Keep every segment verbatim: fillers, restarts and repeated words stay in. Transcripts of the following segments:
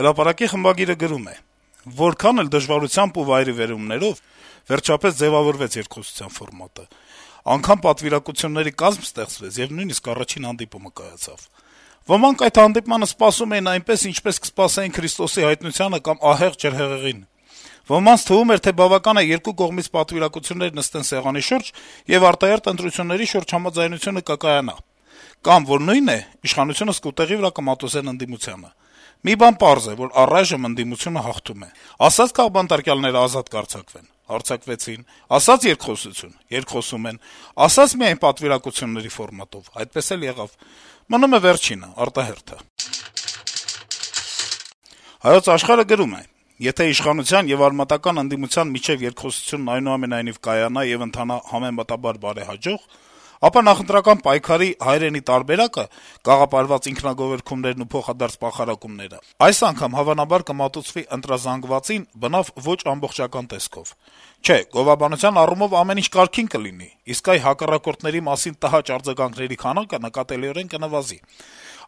Հրապարակի խմբագիրը գրում է. - «Որքան էլ դժվարությամբ ու վայրիվերումներով վերջապես ձեւավորվեց երկխոսության ֆորմատը, անգամ պատվիրակությունների կազմ ստեղծվեց եւ նույնիսկ առաջին հանդիպումը կայացավ: Ոմանք այդ հանդիպմանը սպասում էին այնպես, ինչպես կսպասեին Քրիստոսի հայտնությանը կամ ահեղ ջրհեղեղին: Ոմանց թվում էր, թե բավական է երկու կողմից պատվիրակություններ նստեն սեղանի շուրջ, եւ արտահերթ ընտրությունների շուրջ համաձայնությունը կկայանա: Կամ, որ նույնն է, իշխանությունը սկուտեղի վրա կմատուցեն ընդդիմությանը: Մի բան պարզ է, որ առայժմ ընդդիմությունը հաղթում է: Ասաց քաղբանտարկյալները ազատ կարձակվեն: Արձակվեցին: Ասաց երկխոսություն: Երկխոսում են: Ասաց միայն պատվիրակությունների ֆորմատով: Այդպես էլ եղավ: Մնում է վերջինը՝ արտահերթը»: «Հայոց Աշխարհ»-ը գրում է. - «Եթե իշխանության եւ արմատական ընդդիմության միջեւ երկխոսությունն այնուամենայնիվ կայանա եւ ընթանա համեմատաբար բարեհաջող, ապա նախընտրական պայքարի հայրենի տարբերակը՝ գաղափարված ինքնագովերգումներն ու փոխադարձ պախարակումները, այս անգամ հավանաբար կմատուցվի ընտրազանգվածին բնավ ոչ ամբողջական տեսքով: Չէ, գովաբանության առումով ամեն ինչ կարգին կլինի, իսկ այ հակառակորդների մասին տհաճ արձագանքների քանակը նկատելիորեն կնվազի: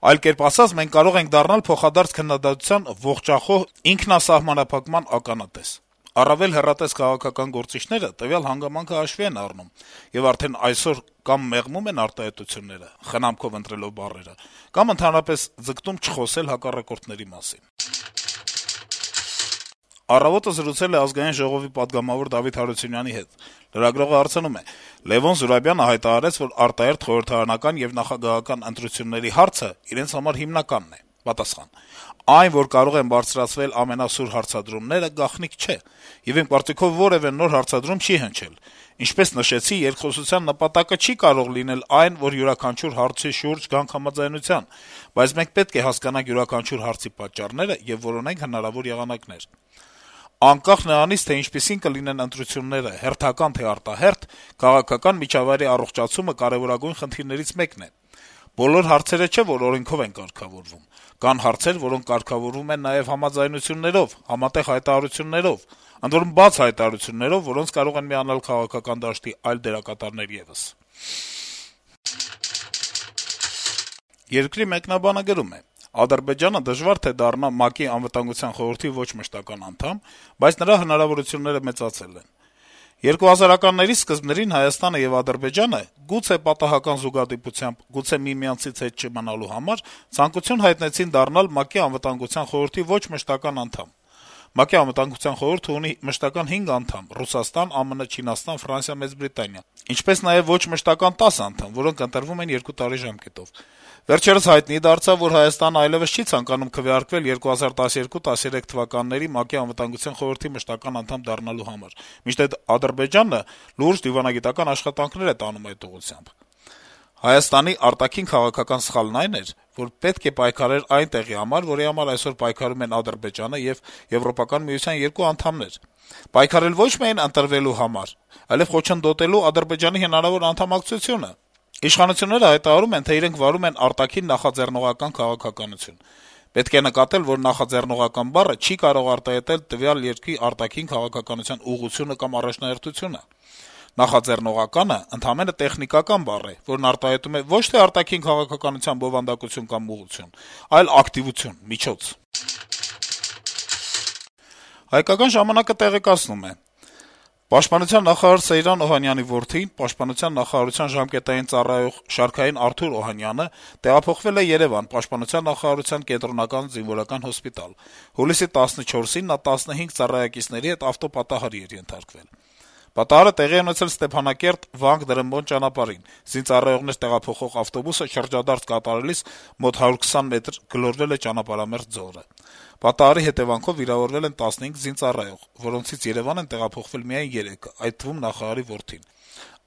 Այլ կերպ ասած, մենք կարող ենք դառնալ փոխադարձ քննադատության ողջախոհ ինքնասահմանափակման ականատես: Առավել հեռատես քաղաքական գործիչները տվյալ հանգամանքը հաշվի են առնում եւ արդեն այսօր կամ մեղմում են արտահայտությունները՝ խնամքով ընտրելով բառերը, կամ ընդհանրապես ձգտում չխոսել հակառակորդների մասին»: «Առավոտ»-ը զրուցել է Ազգային ժողովի պատգամավոր Դավիթ Հարությունյանի հետ: Լրագրողը հարցնում է. - «Լեւոն Զուրաբյանը հայտարարեց, որ արտահերթ խորհրդարանական եւ նախագահական ընտրությունների հարցը իրենց համար հիմնականն է»: Պատասխան. - «Այն, որ կարող են բարձրացվել ամենասուր հարցադրումները, գաղտնիք չէ, եւ իմ կարծիքով որեւէ նոր հարցադրում չի հնչել: Ինչպես նշեցի, երկխոսության նպատակը չի կարող լինել այն, որ յուրաքանչյուր հարցի շուրջ գանք համաձայնության, բայց մենք պետք է հասկանանք յուրաքանչյուր հարցի պատճառները եւ որոնենք հնարավոր եղանակներ: Անկախ նրանից, թե ինչպիսին կլինեն ընտրությունները՝ հերթական թե արտահերթ, քաղաքական միջավայրի առողջացումը կարեւորագույն խնդիրներից մեկն է: Բոլոր հարցերը չէ, որ օրենքով են կարգավորվում: Կան հարցեր, որոնք կարգավորվում են նաեւ համաձայնություններով, համատեղ հայտարարություններով, ընդ որում բաց հայտարարություններով, որոնց կարող են միանալ քաղաքական դաշտի այլ դերակատարներ եւս»: «Երկիր» թերթի մեկնաբանը գրում է. - «Ադրբեջանը դժվար թե դառնա ՄԱԿ-ի Անվտանգության խորհրդի ոչ մշտական անդամ, բայց նրա հնարավորությունները մեծացել են: երկու հազարականների սկզբներին Հայաստանը եւ Ադրբեջանը, գուցե պատահական զուգադիպությամբ, գուցե միմյանցից հետ չմնալու համար, ցանկություն հայտնեցին դառնալ ՄԱԿ-ի Անվտանգության խորհրդի ոչ մշտական անդամ: ՄԱԿ-ի Անվտանգության խորհուրդը ունի մշտական հինգ անդամ՝ Ռուսաստան, ԱՄՆ, Չինաստան, Ֆրանսիա, Մեծ Բրիտանիա, ինչպես նաեւ ոչ մշտական տասը անդամ, որոնք ընտրվում են երկու տարի ժամկետով: Վերջերս հայտնի դարձավ, որ Հայաստանն այլեւս չի ցանկանում քվեարկվել երկու հազար տասներկու տասներեք թվականների ՄԱԿ-ի Անվտանգության խորհրդի մշտական անդամ դառնալու համար, մինչդեռ Ադրբեջանը լուրջ դիվանագիտական աշխատանքներ է տանում այդ ուղղությամբ: Հայաստանի արտաքին քաղաքական սխալն այն էր, որ պետք է պայքարեր այն տեղի համար, որի համար այսօր պայքարում են Ադրբեջանը եւ Եվրոպական միության երկու անդամներ: Պայքարել ոչ միայն ընտրվելու համար, այլեւ խոչընդոտելու Ադրբեջանի հնարավոր անդամակցությունը: Իշխանությունները հայտարարում են, թե իրենք վարում են արտաքին նախաձեռնողական քաղաքականություն: Պետք է նկատել, որ նախաձեռնողական բառը չի կարող արտահայտել տվյալ երկրի արտաքին քաղաքականության ուղղությունը կամ առաջնահերթությունը: Նախաձեռնողականը ընդամենը տեխնիկական բառ է, որն արտահայտում է ոչ թե արտաքին քաղաքականության բովանդակություն կամ ուղղություն, այլ ակտիվություն, միջոց»: «Հայկական ժամանակ»-ը տեղեկացնում է. - «Պաշտպանության նախարար Սեյրան Օհանյանի որդին, Պաշտպանության նախարարության ժամկետային ծառայող Շարքային Արթուր Օհանյանը տեղափոխվել է Երեւան, Պաշտպանության նախարարության կենտրոնական զինվորական հոսպիտալ: Հուլիսի տասնչորսին նա տասնհինգ ծառայակիցների հետ ավտոպատահարի էր ենթարկվել: Պատահարը տեղի է ունեցել Ստեփանակերտ-Վանք-Դրըմբոն ճանապարհին: Զինծառայողներ տեղափոխող ավտոբուսը շրջադարձ կատարելիս մոտ հարյուր քսան մետր գլորվել է ճանապարհամերձ ձորը: Պատահարի հետեւանքով վիրավորվել են տասնհինգ զինծառայող, որոնցից Երեւան են տեղափոխվել միայն երեքը, այդ թվում նախարարի որդին: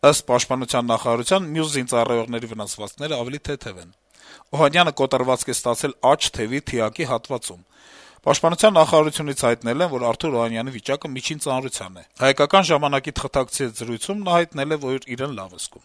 Ըստ Պաշտպանության նախարարության, մյուս զինծառայողների վնասվածքները ավելի թեթեւ են: Օհանյանը կոտրվածք է ստացել աջ թևի թիակի հատվածում: Պաշտպանության նախարարությունից հայտնել են, որ Արթուր Օհանյանի վիճակը միջին ծանրության է: «Հայկական ժամանակ»-ի թղթակցի հետ զրույցում նա հայտնել է, որ իրեն լավ է զգում: